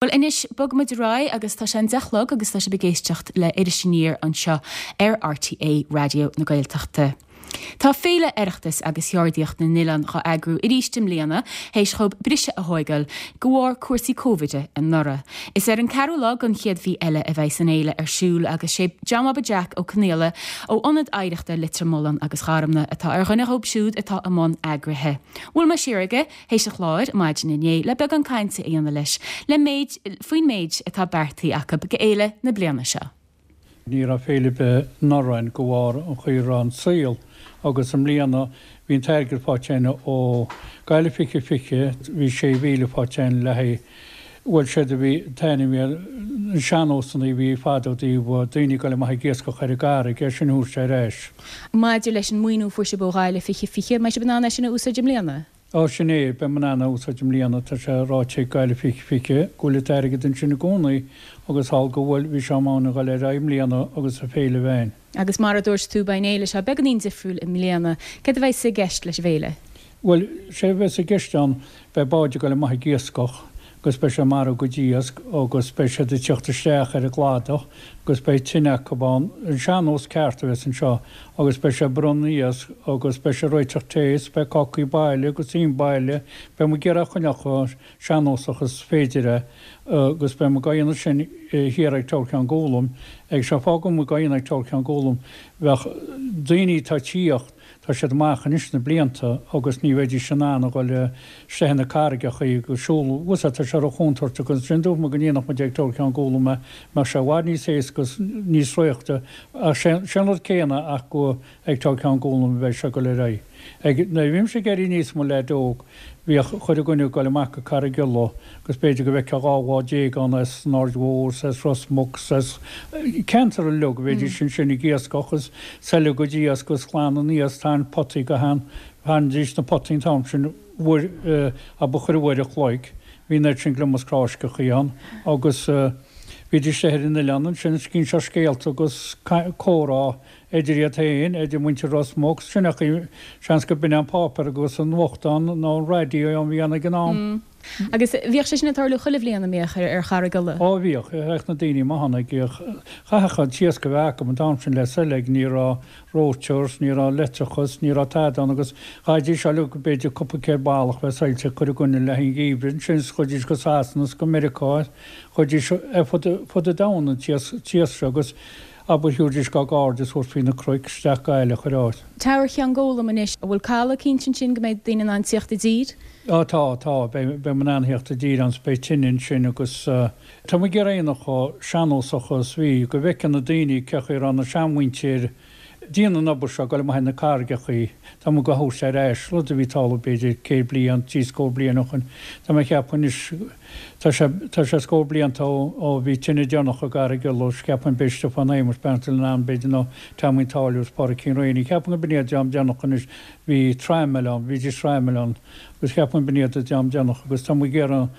Bhuel anois, bogfaimid ar aghaidh agus tá sé an 10 a chlog agus tá sibh ag éisteacht le Iris Aniar anseo ar RTÉ Raidió na Gaeltachta. Tá Féile Oireachtais agus Cheardaíocht na nOileán dhá eagrú arís i mbliana, théis dhóibh briseadh a thóigeáil de bharr cúrsaí Cóivide anuraidh. Is ar an ceathrú lá den chéad mhí eile a bheidhs an fhéile ar siúl agus sé John Bhaba Jack Ó Conaola ó Ionad Oidhreachta Leitir Mealláin agus Gharmna atá ar dhuine dhóibh siúd atá i mbun eagraithe. Bhuail mé siar aige Théis an chláir maidin inné le beagán cainte a dhéanamh leis le méid faoin méid atá beartaithe acu go fhéile na bliana seo. Ní raibh féile ar bith anuraidh againn de bharr an chaoi a raibh an saol agus i mbliana bhí an t-airgead faighte againn ó Gaillimh 2020, bhí 6,000 faighte againn le haghaidh, bhuel séard a bhí, an t-ainm ar na sean-nósanna a bhí fada ó thaobh daoine ag dul amach ag iascach ar an gcarraig, é sin a thabhairt ar ais. Maidir leis an maoiniú a fuair sibh ó Ghaillimh 2020, an mbeidh sibh in ann é sin a úsáid i mbliana? Á, sin é, beidh muid in ann é a úsáid i mbliana, tá sé ráite ag Gaillimh 2020 go bhfuil an t-airgead ansin i gcónaí agus thall go bhfuil, bhí sé in am a dhul ar aghaidh i mbliana agus an féile a bheith againn. Agus mar a dúirt tú, beidh an fhéile seo beagáinín difriúil i mbliana. Céard a bheas i gceist leis an bhféile? Bhuel, sé a bheas i gceist ann, beidh báid ag dul amach ag iascach agus beidh sé ag marú a gcuid iasc agus beidh siad ag teacht isteach ar an gcladach agus beidh tine acu ann, an sean-nós ceart a bheas anseo agus beidh sé ag bronnadh iasc agus beidh sé ag réiteach tae is beidh cácaí baile agus im baile, beidh muid ag iarraidh a choinneáil chomh sean-nósach is féidir é agus beidh muid á dhéanamh sin thiar ag Teamhair Cheann Gólaim agus sé an fáth go bhfuil muid á dhéanamh ag Teamhair Cheann Gólaim bheadh daoine atá ag tíocht Tá siad amach anois na blianta agus ní bheidís in ann a dhul isteach ina carraigeachaí agus siúl. Bhfuil 's a'd, tá sé ró-chontúirteach agus ansin dúirt muid go ndéanfadh muid ag Teamhair Cheann Gólaim é, mbeadh sé i bhfad níos éasca agus níos sroichte ach sé an rud céanna ach go ag Teamhair Cheann Gólaim a bheidh sé ag dul ar aghaidh. Ag, nuair a bhímse ag éirí aníos i mo leaid óg, bhíodh chuile dhuine ag dul amach go Carraig Uladh agus b'fhéidir go bhfeicfeá 12 bhád ann as an Aird Mhór 's as Ros Muc 's as ceantar uilig, bheidís ansin ag iascach is seilg a gcuid iasc agus glanadh an iasc, tarraingt potaí go han, tharraingdís na potaí an t-am sin uair, abair chuile uair a chloig, bhí an oiread sin gliomach cráisceachaí ann agus bhídís istigh ar an oileán ansin ag inseacht scéalta agus comhrá. Idir iad féin, idir muintir Ros Muc, sin é an chaoi, seans go b'in é an páipéar agus an nuachtán nó an raidió a bhí ann ag an am. Agus bhíodh sé sin ag tarlú chuile bhliain, an mbíodh, ar Charraig Uladh? Ó bhíodh. Théadh na daoine amach ann ag, chaithfeadh an t-iasc a bheith acu an t-am sin le seilg, ní raibh reoiteoir, ní raibh leictreachas, ní raibh tada ann agus chaithfidís uilig b'fhéidir cúpla céad ballach bheith saillte ag cur i gcoinne le haghaidh an gheimhridh ansin is chuidís go Sasana is go Meiriceá, chuidís ar fud an domhain an t-iasc seo agus Abair thiúirdís dá gcairde is thabhairt faoi na cnoic isteach Gaillimh chuile áit. Teamhair Cheann Gólaim anois, an bhfuil caladh cinnte ansin go mbeidh daoine in ann tíocht i dtír? Á tá, tá, beidh, beidh muid in ann thíocht i dtír ann 's beidh tine ansin agus tá muid ag iarraidh é a dhéanamh chomh sean-nósach is bhí, go bhfeiceann na daoine cé chaoi a raibh na seanmhuintir ag déanamh an obair seo, ag dul amach ar na carraigeachaí, tá muid á thabhairt ar ais, rud a bhí ag tarlú b'fhéidir 100 bliain, 70 bliain ó shoin, tá mé ag ceapadh anois, tá sé, tá sé scór blianta ó, ó bhí tine deireanach i gCarraig Uladh, is ceapaim b'é Stiofán Shéamuis, beannacht Dé lena anam, b'fhéidir nó Teaimín Táilliúir is Pádraicín Rainey, ceapaim go b'in iad an dream deireanach anois, bhí Trammell ann, bhídís Trammell ann, agus ceapaim b'in iad an dream deireanach agus tá muid ag iarraidh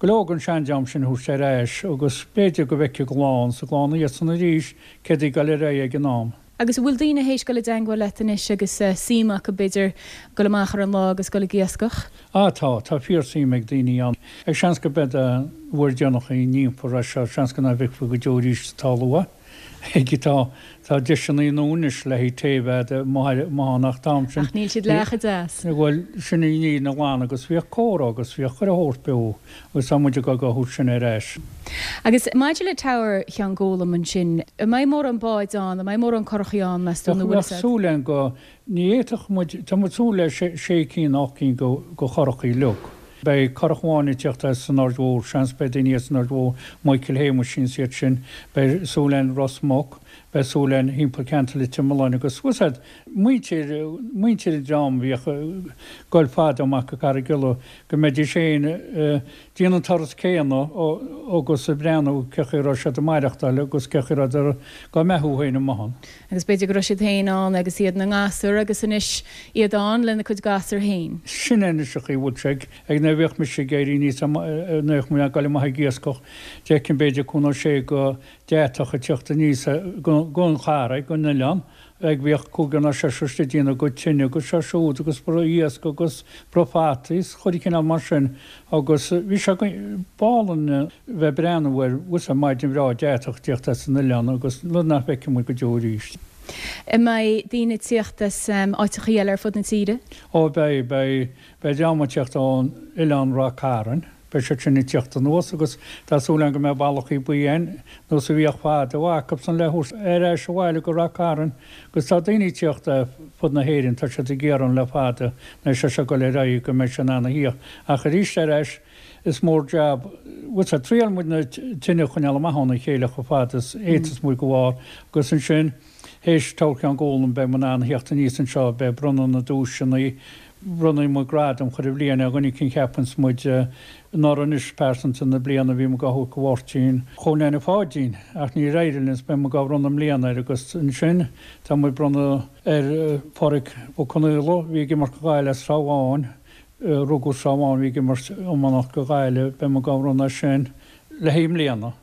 go leor den sean-dream sin a thabhairt ar ais agus b'fhéidir go bhfeicfidh a gclann, 's a gclann iadsan arís, céard a bhí ag dul ar aghaidh ag an am. Agus an bhfuil daoine théis dul i dteangmháil leat anois agus suim acu, b'fhéidir, dul amach ar an lá agus dul ag iascach? Ah tá, tá fíor-suim ag daoine ann. Ag seans go b'é an uair deireanach a ndéanfar é seo, seans go ná bhfeicfí go deo arís atá luath. Ag tá, tá deiseanna nua anois le haghaidh tae bheith amuigh ann ach an t-am sin. Ach níl siad leath chomh deas. Bhuel, sin í an fhírinne ghlan agus bhíodh comhrá agus bhíodh chuile shórt beo. Agus tá muid ag dul á thabhairt sin ar ais. Agus maidir le Teamhair Cheann Gólaim ansin, an mbeidh mórán báid ann, an mbeidh mórán curachaí ann, meas tú, nó bhfuil fhios Bheadh súil againn go, ní fhéadfadh muid, tá muid súil le sé cinn, ocht gcinn go, go churachaí uilig. Beidh curach amháin ag tíocht as an Aird Mhór, seans, beidh daoine as an Aird Mhór, Michael Shéamuisín is iad sin, beidh súil againn Ros Muc, beidh súil againn thimpeall ceantar Leitir Mealláin agus, bhfuil 's a'd, muintir, muintir an dream a bhíodh ag goil fada amach go Carraig Uladh, go mbeidís féin ag déanamh an turas céanna agus ag breathnú cé chaoi a raibh siad ag maireachtáil agus cé chaoi a rabhadar dhá mbeathú féin amuigh ann. Agus b'fhéidir go raibh siad féin ann agus iad ina ngasúir agus anois iad ann lena gcuid gasúr féin. Sin é anois an chaoi a bhfuil sé ag nuair a bhíodh mise ag éirí aníos nuair a bhíodh mé ag dul amach ag iascach d'fheicfinn b'fhéidir cúig nó sé go deatach ag teacht aníos gon charraig, gon oileán. Ag bhíodh cúigear nó seisear istigh ag déanamh a gcuid tine agus seo siúd agus bruith iasc agus bruith fataí is chuile chineál mar sin agus bhí sé b'álainn bheith ag breathnú air bhfuil a maidin bhreá deatach tíocht as an oileán agus rud nach bhfeicfidh muid go deo arís. An mbeidh daoine ag tíocht as áiteachaí eile ar fud na tíre? Ó beidh, beidh, beidh dream ag tíocht ón oileán Ráth Cairn. Beidh siad sin ag tíocht anuas agus tá súil agam go mbeidh ballachaí buí ann, nós a bhíodh fadó acubsan le thabhairt ar ais abhaile go Ráth Cairn agus tá daoine ag tíocht ar fud na hÉireann, tá siad ag iarraidh le fada nuair sé seo ag dul ar aghaidh go mbeidh sé in ann a thíocht ach arís ar ais is mór jab, bhfuil 's a'd, triailfidh muid na tine a choinneáil amach óna chéile chomh fada is fhéadfas muid go bharr agus ansin Théis Tower Cheann Gólaim beidh muid in ann a theacht aníos anseo, beidh bronnadh na nduaiseanna, bronnfaidh muid gradam chuile bhliain ar dhuine eicínt a cheapanns muid anuraidh anois pearsanta na bliana bhí muid dhá thabhairt go Mháirtín Chóil Neaine Pháidín ach níor éirigh linn is beidh muid dhá bhronnadh i mbliana air agus ansin tá muid bronnadh ar Pháraic Ó Conaola bhí ag imirt go Gaillimh as Srath Bháin, rugadh Srath Bháin bhí ag imirt iománaíocht go Gaillimh beidh muid dhá bhronnadh air sin le haghaidh i mbliana.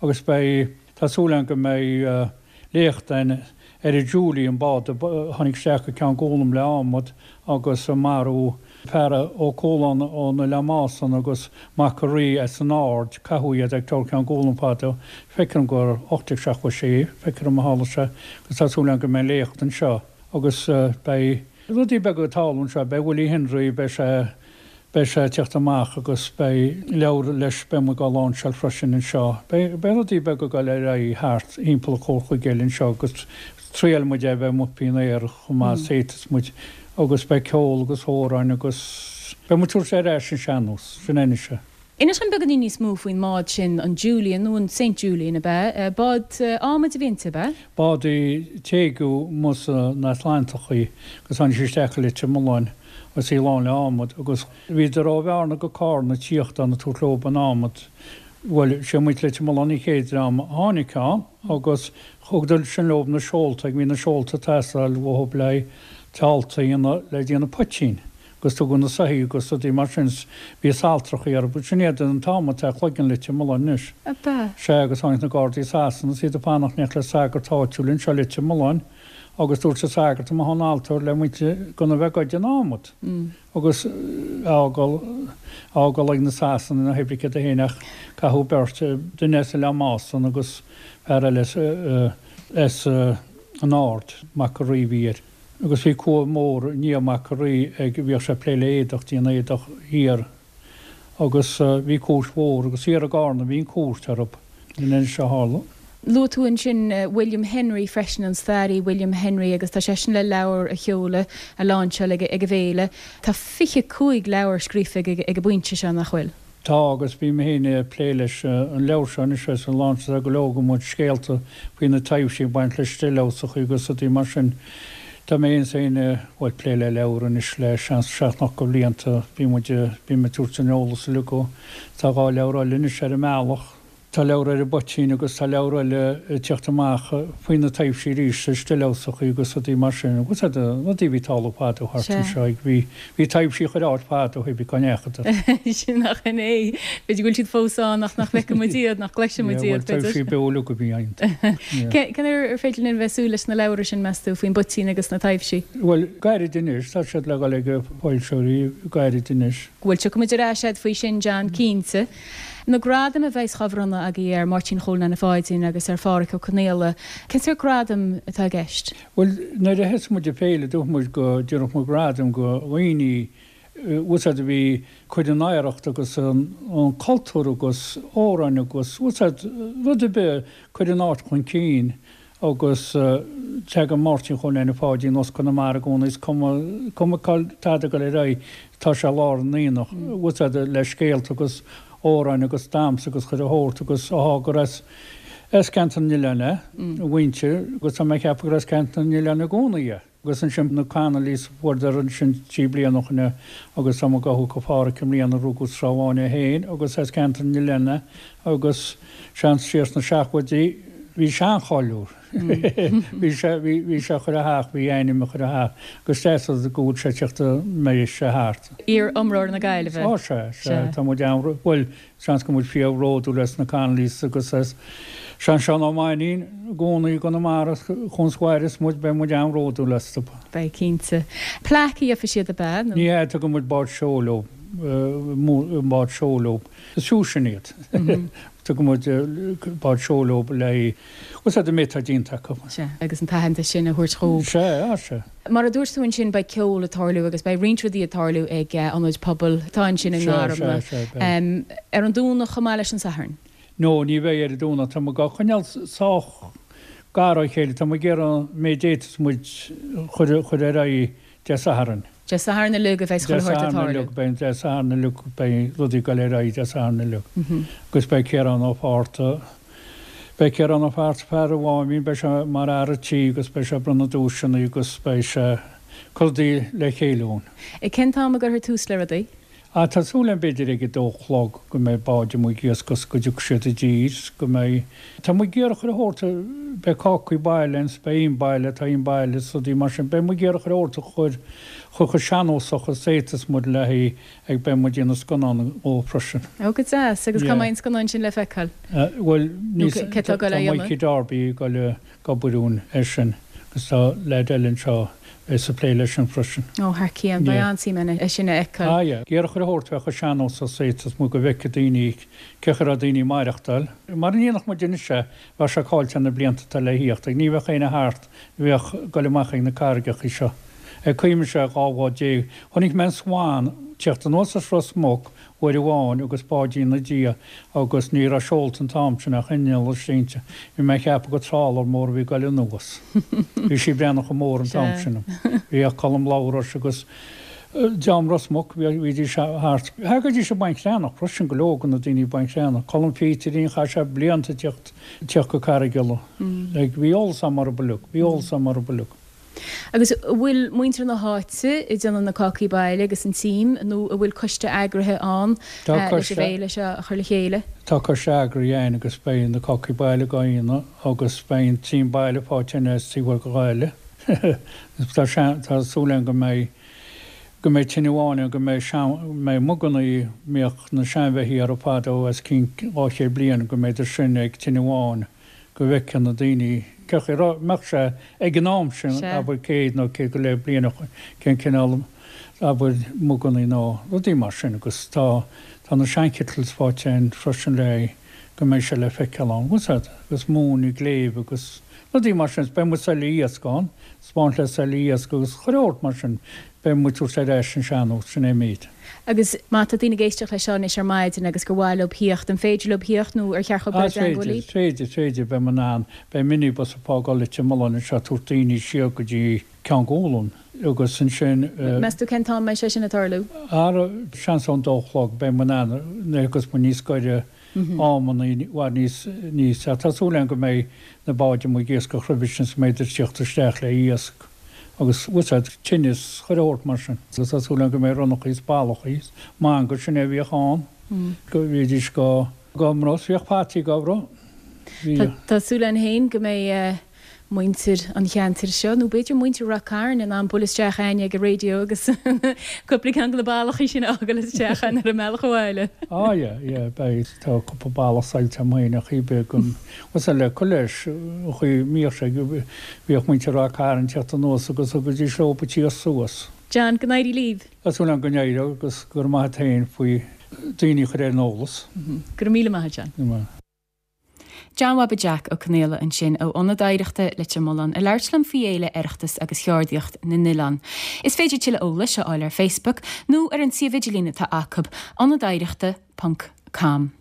Agus beidh, tá súil agam go mbeidh léacht ann ar an Julie, an bád a tháinig isteach go Ceann Gólaim le adhmad agus a maraíodh fear Ó Cualáin ón Oileán Másan agus Mac a' Rí as an Aird, caitheadh iad ag Tower Cheann Gólaim fadó, feictear dom gur 1876, feictear dom a tharla sé, agus tá súil agam go mbeidh léacht anseo agus beidh rudaí beaga ag tarlú anseo, beidh Willie Henry, beidh sé. Beidh sé ag teacht amach agus beidh leabhar leis, beidh muid dhá láinseáil freisin anseo. Beidh rudaí beaga ag dul ar aghaidh thart thimpeall an chomharchuig anseo agus triailfidh muid é a bheith amuigh faoin aer chomh maith is a fhéadfas muid agus beidh ceol agus amhráin agus beidh muid ag tabhairt ar ais an sean-nós, sin é anois é. Inis dom beagáinín níos mó faoin mbád sin, an Julian, nó an Saint Julian, ab ea? Bád adhmaid a bhí inti, ab ea? Bád í téigeadh amuigh san Atlantach í agus tháinig sí isteach i Leitir Mealláin agus í lán le adhmad agus bhíodar ó Bhearna go Cárna ag tíocht ann ag tabhairt leob an adhmad. Bhuel, sé muintir Leitir Mealláin an chéad dream a tháinig ann agus thugadar sin leob na seolta ag bhí na seolta ag teastáil uathub le seolta a dhéanamh le déanamh poitín. agus tugadh na soithí agus rudaí mar sin 's bhí saltrachaí orthu. Sin iad an t-adhmad atá ag cloigeann Leitir Mealláin anois. Ab ea? Sea, agus tháinig na Gardaí as Sasana is iad ag fanacht in éineacht le sagart áitiúil anseo i Leitir Mealláin agus dúirt an sagart amuigh ón altóir le muintir gan a bheith ag goid an adhmad agus á fhágáil, á fhágáil ag na Sasanaigh ná hoibrigh iad féin ach caitheadh beirt, duine as Oileán Másan agus fear eile as an Aird, Mac a' Rí a bhí air. Agus bhí cumha mór i ndiaidh Mac a' Rí ag, bhíodh sé ag plé le éadach, déanamh éadach thiar agus bhí cúirt mhór agus thiar i gCárna bhí an cúirt orthu. In Inis a tharla. Luaigh tú ansin William Henry freisin, an staraí William Henry agus tá seisean le leabhar a sheoladh, a láinseáil ag an bhféile. Tá 25 leabhar scríofa aige ag an bpointe seo, nach bhfuil? Tá, agus bím féin ag plé leis an leabhar seo anois agus an lainseáil go leor go muid scéalta faoi na taibhsí ag baint le stillhouseachaí agus rudaí mar sin. Tá mé féin bhuel, plé le leabhar anois le seans seacht nó ocht de bhlianta. Bhí muid, bím ag tabhairt an eolas uilig go, tá 2 leabhar eile anois ar an mbealach. Tá leabhar ar an bpoitín agus tá leabhar eile ag tíocht amach faoi na taibhsí arís, na stillhouseachaí agus rudaí mar sin. Agus rudaí a bhí ag tarlú fadó thart anseo. Bhí bhí taibhsí chuile áit fadó pé bí cá ndeachadar. Sin nach in é. B'fhéidir go bhfuil siad fós ann ach nach bhfeiceann muid iad, nach gcloiseann muid iad, b'fhéidir. Bhuel, taibhsí beo uilig a bhí iontu. Cén uair ar féidir linn bheith ag súil leis na leabhra sin, meas tú, faoin bpoitín agus na taibhsí? Bhuel, gairid anois. Tá siad le dhul ag foilsitheoirí gairid anois. Bhuel, tiocfaidh muid ar ais agat faoi sin, John, cinnte. Na gradaim a bheas á bhronnadh agaibh ar Mháirtín Chóil Neaine Pháidín agus ar Phádhraic Ó Conaola, cén sórt gradaim atá i gceist? Bhuel, nuair a thosaigh muid an féile, dúirt muid go dtabharfadh muid gradaim go dhaoine, bhfuil 's a'd, a bhí ag cur an oidhreacht agus an cultúr agus amhráin agus, bhfuil 's a'd, rud ar bith, cur an áit chun cinn. Agus tagann Máirtín Chóil Neaine Pháidín as Conamara i gcónaí, is cuma, cuma cá tada ag dul ar aghaidh, tá sé i lár an aonaigh, bhfuil 's a'd, le scéalta agus amhráin agus damhsa agus chuile shórt agus áthá gur as, as Ceantar na nOileán é, a mhuintir, agus tá mé ag ceapadh gur as Ceantar na nOileán i gcónaí é. Agus ansin na Connollys, fuaireadar ansin 3 bliana ó shin é agus tá muid dhá thabhairt go Phádhraic i mbliana, rugadh sa Srath Bháin é féin agus as Ceantar na nOileán é agus seans siar sna seachtóidí bhí sé an-cháiliúil. Bhí sé, bhí, bhí sé chuile theach, bhí a ainm i chuile theach agus deas go bhfuil sé ag tíocht go mbeidh sé thart. Iar-iomróir na Gaillimhe. Á sea, sea, tá muid an, bhuel, Seans go bhfuil fíor-bhródúil as na Connollys agus as. Seán Seán Ó Mainnín i gcónaí i gConamara chugainn sa bhaile is muid, beidh muid an-bhródúil astu. Beidh, cinnte. Plaic a gheobhaidh siad ab ea? Nó? Ní hea, tugann muid bád seoil leo, bád seoil leo. Is fiú sin iad. Tugann muid bád seoil leo le haghaidh, an méid atá déanta acu. Sea, agus an t-aitheantas sin a thabhairt dhóibh. Sea, sea. Mar a dúirt tú ansin, beidh ceol ag tarlú agus beidh roinnt rudaí ag tarlú ag ionad pobail atá ansin i nGarmna. Sea, sea, beidh. Ar an Domhnach chomh maith leis an Satharn? No, ní bheidh ar an Domhnach. Tá muid á choinneáil sách gar ó chéile. Tá muid ag iarraidh an méid a fhéadfas muid chur chur ar aghaidh Dé Sathairn. Dé Sathairn uilig a bheidh chuile shórt ag tarlú. Dé Sathairn uilig, beidh Dé Sathairn uilig, beidh rudaí ag dul ar aghaidh Dé Sathairn uilig. Agus beidh Ciarán Ó Fátharta, beidh Ciarán Ó Fátharta, fear an Mháimín, beidh sé mar fhear an tí agus beidh sé ag bronnadh duaiseanna agus beidh sé ag cur rudaí le chéile dhúinn. Ag cén t-am a gcuirfear tús le rudaí? Ah, tá súil agam b'fhéidir ag a dó a chlog go mbeidh báid amuigh ag iascach 's go dtiocfaidh siad i dtír 's go mbeidh, tá muid ag iarraidh chuile shórt, beidh cácaí baile ann 's beidh im baile, tá im baile 's rudaí mar sin, beidh muid ag iarraidh chuile shórt a chur chomh sean-nósach is a fhéadfas muid le haghaidh ag beidh muid ag déanamh scannán dhó freisin. Ó go deas, agus cá mbeidh an scannán sin le feiceáil? Bhuel, níl, tá Mikey Darby ag dul a. ag obair dúinn air sin agus tá leaid eile anseo a bheas ag plé leis sin freisin. Ó, thar cionn. Beidh an-suim ann é sin a fheiceáil. Ah yeah. Ag iarraidh chuile shórt a bheith chomh sean-nósach is a fhéadfas muid go bhfeicfidh daoine cén chaoi a raibh daoine ag maireachtáil. Mara ndéanfadh muid anois é, bheadh sé caillte na blianta atá le thíocht ach ní bheadh éinne thart a bheadh ag dul amach ag na carraigeachaí seo. Ag cuimhneamh sé 12 bhád. Chonaic mé an Swan tíocht anuas as Ros Muc uair amháin agus báidín 'na diaidh agus ní raibh seolta an t-am sin ach inneall istigh inti. Bhí mé ag ceapadh gur trawler mór a bhí ag goil anuas. Bhí sí ag breathnú chomh mór an t-am sin. Bhíodh Colm Labhráis agus dream Ros Muc, bhídís thart. Thagaidís ag Baint Chreathnach freisin, go leor de na daoine ag Baint Chreathnach. Colm Phíterín, chaith sé blianta ag tíocht, tíocht go Carraig Uladh. Like, bhí eolas a'm orthu uilig, bhí eolas a'm orthu uilig. Agus an bhfuil muintir na háite ag déanamh na cácaí baile agus an t-im nó an bhfuil coiste eagraithe ann leis an bhféile seo a chur le chéile? Tá coiste eagraithe ann agus beidh na cácaí baile dhá ndéanamh agus beidh an t-im baile faighte as taobh thoir de Ghaillimh. Tá tá súil againn go mbeidh go mbeidh tine amháin ann go mbeidh sean mbeidh muganna a mbíodh na seanbheithígh orthu fadó os cionn 200 bliain go mbeidh sin ag tine amháin. go bhfeicfeadh na daoine cén chaoi a mbeadh sé ag an am sin, abair 100 nó 100 go leith bliain ó shoin, cén cineál, abair, mugannaí nó rudaí mar sin agus tá, tá na sean-kettles faighte againn freisin le go mbeidh sé le feiceáil ann, bhfuil 's a'd, agus móin i gcléibh agus rudaí mar sin, beidh muid seilbh iasc ann, 'spáint le seilbh iasc agus chuile shórt mar sin, beidh muid tabhairt ar ais an sean-nós, sin é an méid. Agus má tá daoine ag éisteacht leis seo anois ar maidin agus gur mhaith leo thíocht, an féidir leo thíocht nó ar cheart dhóibh dul i dteangmháil libh? Is féidir, is féidir, beidh muid in ann, beidh minibus ag fágáil Leitir Mealláin anseo ag tabhairt daoine siar go dtí Ceann Gualann agus ansin. Meas tú cén t-am a mbeidh sé sin ag tarlú? Ara, seans ón dó a chlog, beidh muid in ann, nuair a thiocfas muid níos gaire amanna i bhfad níos, níos, tá súil agam go mbeidh na báid amuigh ag iascach roimhe sin is go mbeidh ag tíocht isteach le iasc agus bhfuil 's a'd, tine is chuile shórt mar sin. Agus tá súil agam go mbeidh ronnachaí is ballachaí is manga, sin é a bhíodh ann, go mbídís go, go mbruith, bhíodh fataí go bruith, bhíodh. Tá súil againn féin go mbeidh muintir an cheantair seo, nó b'fhéidir muintir Rath Cairn, in ann bualadh isteach a'ainn ag an raidió agus cúpla ceann de na ballachaí sin a fhágáil isteach a'ainn ar an mbealach abhaile. Á yeah, yeah, beidh, tá cúpla ballach saillte agam féin ach b'fhéidir go, bhfuil 's a'd le cur leis, an chaoi a mbíodh sé, bhíodh muintir Rath Cairn ag teacht anuas agus thugaidís leo an t-iasc suas. John, go n-éirí libh. Tá súil agam go n-éireoidh agus go raibh maith a't féin faoi daoine a chur ar an eolas. Go raibh míle maith a't, John. Go raibh maith. John Bhaba Jack Ó Conaola ansin ó Ionad Oidhreachta Leitir Mealláin ag labhairt liom faoi Fhéile Oireachtas agus Cheardaíocht na nOileán. Is féidir tuilleadh eolais a fháil ar Facebook nó ar an suíomh idirlín atá acu, ionadoidhreachta ponc com.